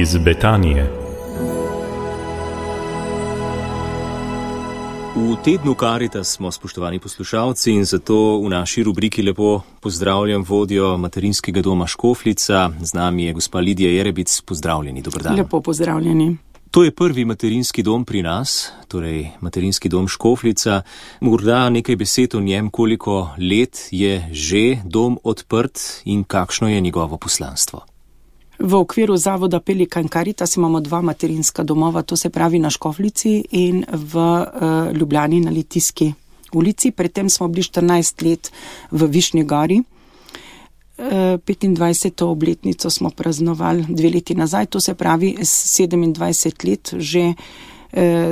Iz Betanije. V tednu Karitas smo, spoštovani poslušalci, in zato v naši rubriki lepo pozdravljam vodjo materinskega doma Škofljica. Z nami je gospa Lidija Jerebic. Pozdravljeni, dober dan. Lepo pozdravljeni. To je prvi materinski dom pri nas, torej materinski dom Škofljica. Morda nekaj besed o njem, koliko let je že dom odprt in kakšno je njegovo poslanstvo. V okviru zavoda Pelikan Karitas imamo 2 materinska domova, to se pravi na Škofljici in v Ljubljani na Litijski ulici. Predtem smo bili 14 let v Višnji Gori. 25. obletnico smo praznovali 2 leti nazaj, to se pravi 27 let že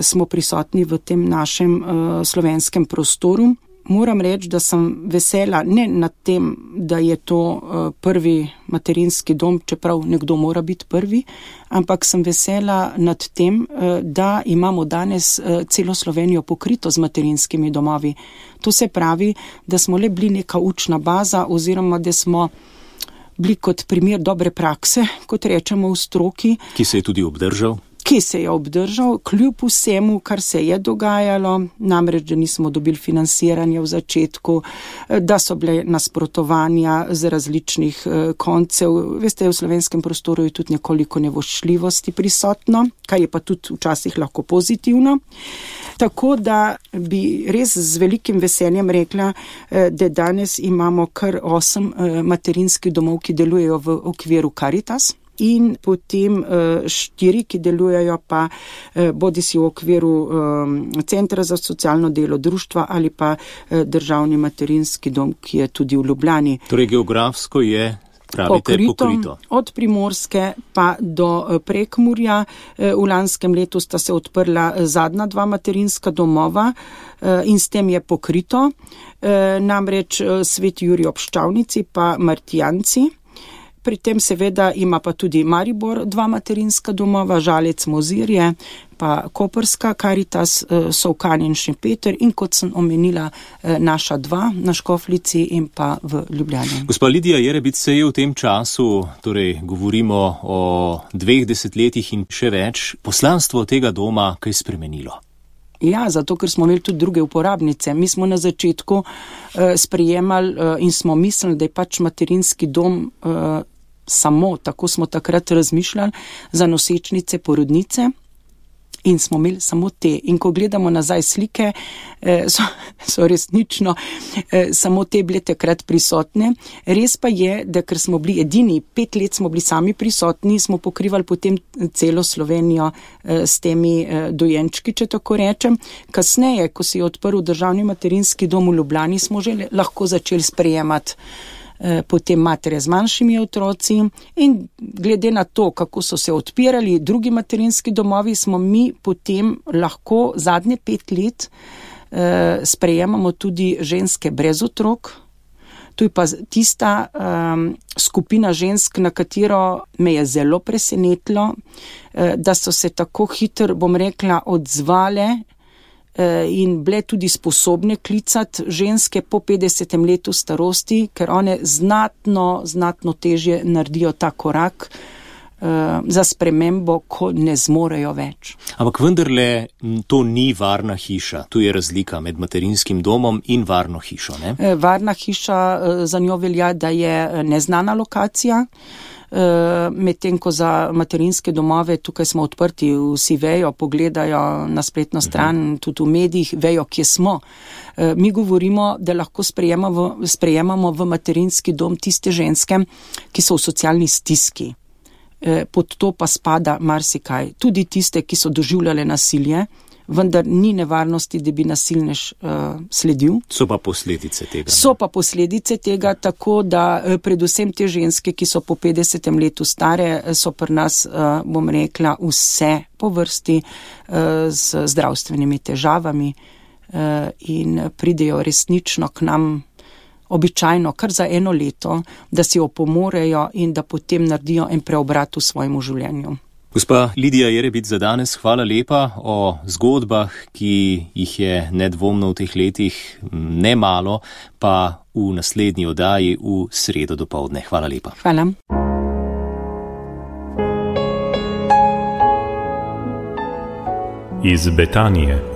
smo prisotni v tem našem slovenskem prostoru. Moram reči, da sem vesela ne nad tem, da je to prvi materinski dom, čeprav nekdo mora biti prvi, ampak sem vesela nad tem, da imamo danes celo Slovenijo pokrito z materinskimi domovi. To se pravi, da smo le bili neka učna baza oziroma da smo bili kot primer dobre prakse, kot rečemo v stroki. Ki se je tudi obdržal? Ki se je obdržal, kljub vsemu, kar se je dogajalo, namreč, da nismo dobili financiranja v začetku, da so bile nasprotovanja z različnih koncev. Veste, v slovenskem prostoru je tudi nekoliko nevoščljivosti prisotno, kar je pa tudi včasih lahko pozitivno. Tako da bi res z velikim veseljem rekla, da danes imamo kar 8 materinskih domov, ki delujejo v okviru Karitas. In potem 4, ki delujejo pa bodisi v okviru Centra za socialno delo društva ali pa državni materinski dom, ki je tudi v Ljubljani. Torej geografsko je, pravite, pokrito. Od Primorske pa do Prekmurja. V lanskem letu sta se odprla zadnja 2 materinska domova in s tem je pokrito. Namreč Sveti Jurij ob Ščavnici pa Martijanci. Pri tem seveda ima pa tudi Maribor 2 materinska domova, Žalec, Mozirje, pa Koprska Karitas, Solkan in Šempeter in kot sem omenila naša 2 na Škofljici in pa v Ljubljani. Gospa Lidija Jerebic, se je v tem času, torej govorimo o 2 desetletjih in še več, poslanstvo tega doma kaj spremenilo? Ja, zato ker smo imeli tudi druge uporabnice. Mi smo na začetku sprejemali in smo mislili, da je pač materinski dom samo, tako smo takrat razmišljali, za nosečnice, porodnice in smo imeli samo te. In ko gledamo nazaj slike, so resnično samo te bile takrat prisotne. Res pa je, da ker smo bili edini, 5 let smo bili sami prisotni, smo pokrivali potem celo Slovenijo s temi dojenčki, če tako rečem. Kasneje, ko se je odprl državni materinski dom v Ljubljani, smo že lahko začeli sprejemati potem matere z manjšimi otroci in glede na to, kako so se odpirali drugi materinski domovi, smo mi potem lahko zadnje 5 let sprejemamo tudi ženske brez otrok. To je pa tista skupina žensk, na katero me je zelo presenetilo, da so se tako hitro, bom rekla, odzvale in bile tudi sposobne klicati ženske po 50. letu starosti, ker one znatno težje naredijo ta korak za spremembo, ko ne zmorejo več. Ampak vendarle to ni varna hiša. Tu je razlika med materinskim domom in varno hišo, ne? Varna hiša, za njo velja, da je neznana lokacija, medtem ko za materinske domove, tukaj smo odprti, vsi vejo, pogledajo na spletno stran, tudi v medijih, vejo, kje smo. Mi govorimo, da lahko sprejemamo v materinski dom tiste ženske, ki so v socialni stiski. Pod to pa spada marsikaj. Tudi tiste, ki so doživljale nasilje, vendar ni nevarnosti, da bi nasilnež sledil. So pa posledice tega. So pa posledice tega, tako da predvsem te ženske, ki so po 50. letu stare, so pri nas, bom rekla, vse po vrsti z zdravstvenimi težavami in pridejo resnično k nam običajno kar za 1 leto, da si opomorejo in da potem naredijo en preobrat v svojem življenju. Gospa Lidija Jerebic, za danes hvala lepa o zgodbah, ki jih je nedvomno v teh letih nemalo, pa v naslednji oddaji v sredo dopoldne. Hvala lepa. Hvala. iz Betanije.